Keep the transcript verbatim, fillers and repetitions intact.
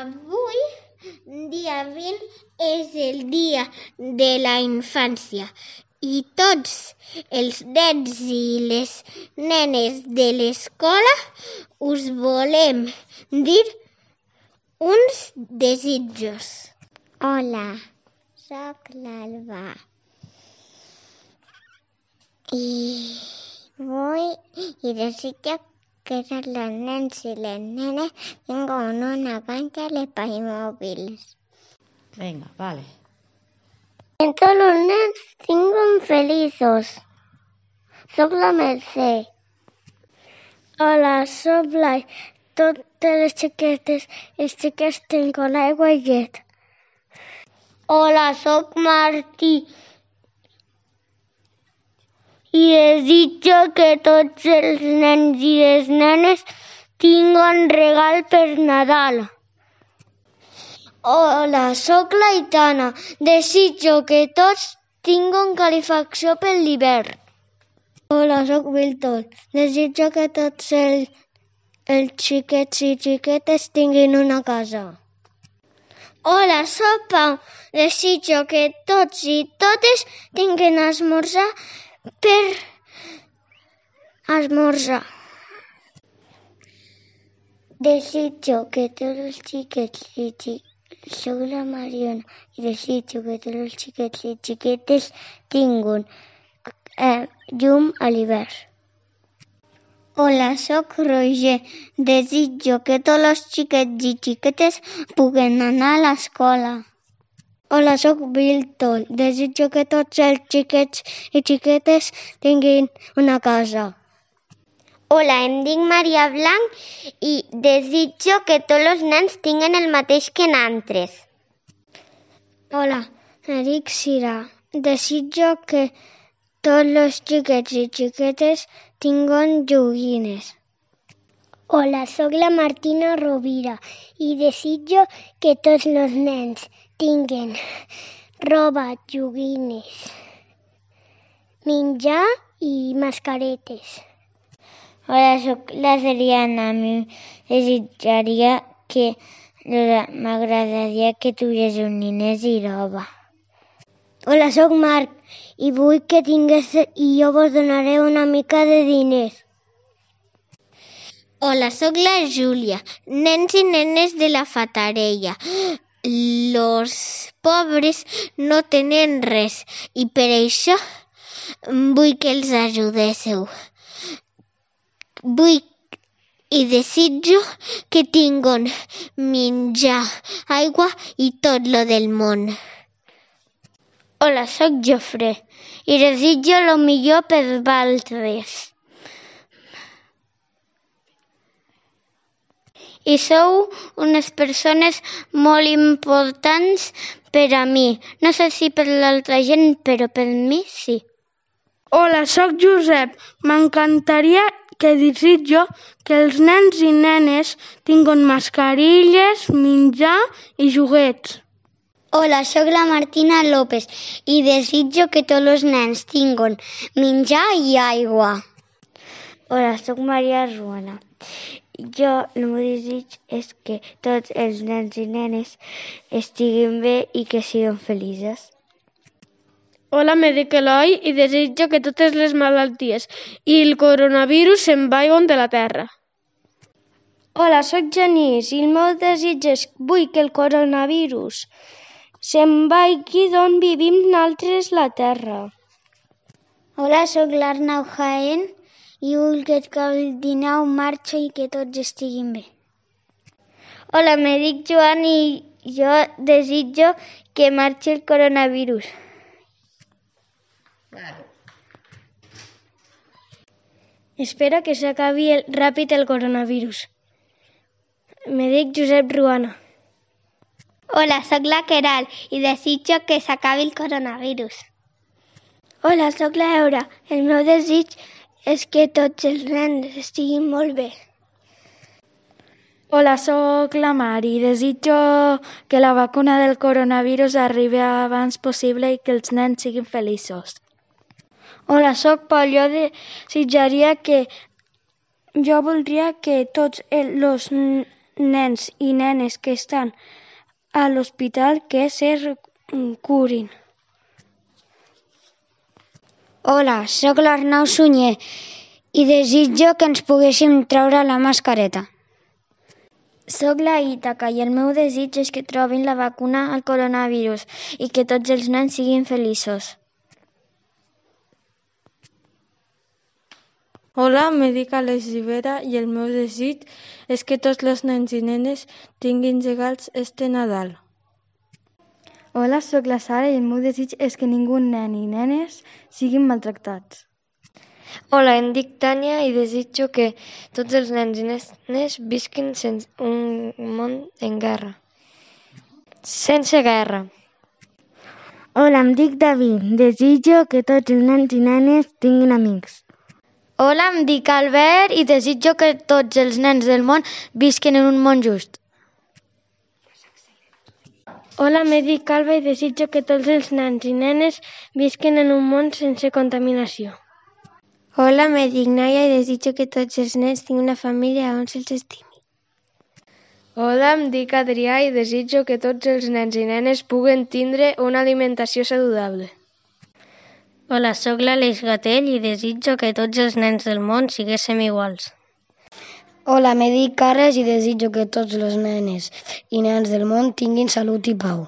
Avui, dia vint, és el dia de la infància i tots els nens i les nenes de l'escola us volem dir uns desitjos. Hola, soc l'Alba i vull i desitjo que tots els nens i les nenes tinguin una cancha de Playmobil. Venga, vale. Que tots els nens tinguin feliços. Soc la Mercè. Hola, soc Blai. Totes les xiquetes i els xiquets tinguin aigua i llet. Hola, soc Martí i desitjo que tots els nens i les nenes tinguin regal per Nadal. Hola, soc l'Aitana. Desitjo que tots tinguin calefacció per l'hivern. Hola, soc Víctor. Desitjo que tots els, els xiquets i xiquetes tinguin una casa. Hola, soc Pau. Desitjo que tots i totes tinguin esmorzar per esmorzar. Desitjo que tots els xiquets i xiquetes... Soc la Mariona i desitjo que tots els xiquets i xiquetes tinguin eh, llum a l'hivern. Hola, soc Roger. Desitjo que tots els xiquets i xiquetes puguen anar a l'escola. Hola, soc Víctor. Desitjo que tots els xiquets i xiquetes tinguin una casa. Hola, em dic Maria Blanc i desitjo que tots els nens tinguin el mateix que nosaltres. Hola, em dic Cira. Desitjo que tots els xiquets i xiquetes tinguin joguines. Hola, soc la Martina Rovira i desitjo que tots els nens tinguin roba, joguines, menjar i mascaretes. Hola, soc la Seriana. A mi desitjaria que m'agradaria que tuvies nines i roba. Hola, soc Marc i vull que tingués i jo vos donaré una mica de diners. Hola, soc la Júlia. Nens i nenes de la Fatarella. Los pobres no tenen res i per això vull que els ajudéssiu. Vull i desitjo que tinguin menjar, aigua i tot lo del món. Hola, soc Jofre i desitjo lo millor per vosaltres. I sou unes persones molt importants per a mi. No sé si per l'altra gent, però per mi sí. Hola, soc Josep. M'encantaria que desitjo que els nens i nenes tinguin mascarilles, menjar i joguets. Hola, sóc la Martina López i desitjo que tots els nens tinguin menjar i aigua. Hola, sóc Maria Ruana. Jo, el meu desig és que tots els nens i nenes estiguin bé i que siguin feliços. Hola, me dic Eloi i desitjo que totes les malalties i el coronavirus se'n vagin de la Terra. Hola, sóc Genís i el meu desig és que vull que el coronavirus se'n vagi d'on vivim nosaltres la Terra. Hola, sóc l'Arnau Jaén i vull que el dinou marxi i que tots estiguin bé. Hola, me dic Joan i jo desitjo que marxi el coronavirus. Espero que s'acabi el, ràpid el coronavirus. Me dic Josep Ruana. Hola, sóc la Queralt i desitjo que s'acabi el coronavirus. Hola, sóc la Eura. El meu desig és que tots els nens estiguin molt bé. Hola, sóc la Mar i desitjo que la vacuna del coronavirus arribi abans possible i que els nens siguin feliços. Hola, sóc Pol. Jo desitjaria que... Jo voldria que tots els nens i nenes que estan a l'hospital que se curin. Hola, sóc l'Arnau Sunyer i desitjo que ens poguéssim treure la mascareta. Soc la Ítaca i el meu desig és que trobin la vacuna al coronavirus i que tots els nens siguin feliços. Hola, me dic Alex Rivera i el meu desig és que tots els nens i nenes tinguin regals este Nadal. Hola, sóc la Sara i el meu desig és que ningú nen i nenes siguin maltractats. Hola, em dic Tània i desitjo que tots els nens i nenes visquin sense un món en guerra. Sense guerra. Hola, em dic David. Desitjo que tots els nens i nenes tinguin amics. Hola, em dic Albert i desitjo que tots els nens del món visquin en un món just. Hola, em dic Alba i desitjo que tots els nens i nenes visquin en un món sense contaminació. Hola, me dic Naya i desitjo que tots els nens tinguin una família on se'ls estimi. Hola, em dic Adrià i desitjo que tots els nens i nenes puguen tindre una alimentació saludable. Hola, sóc l'Àlex Gatell i desitjo que tots els nens del món siguéssim iguals. Hola, me dic Carles i desitjo que tots les nenes i nens del món tinguin salut i pau.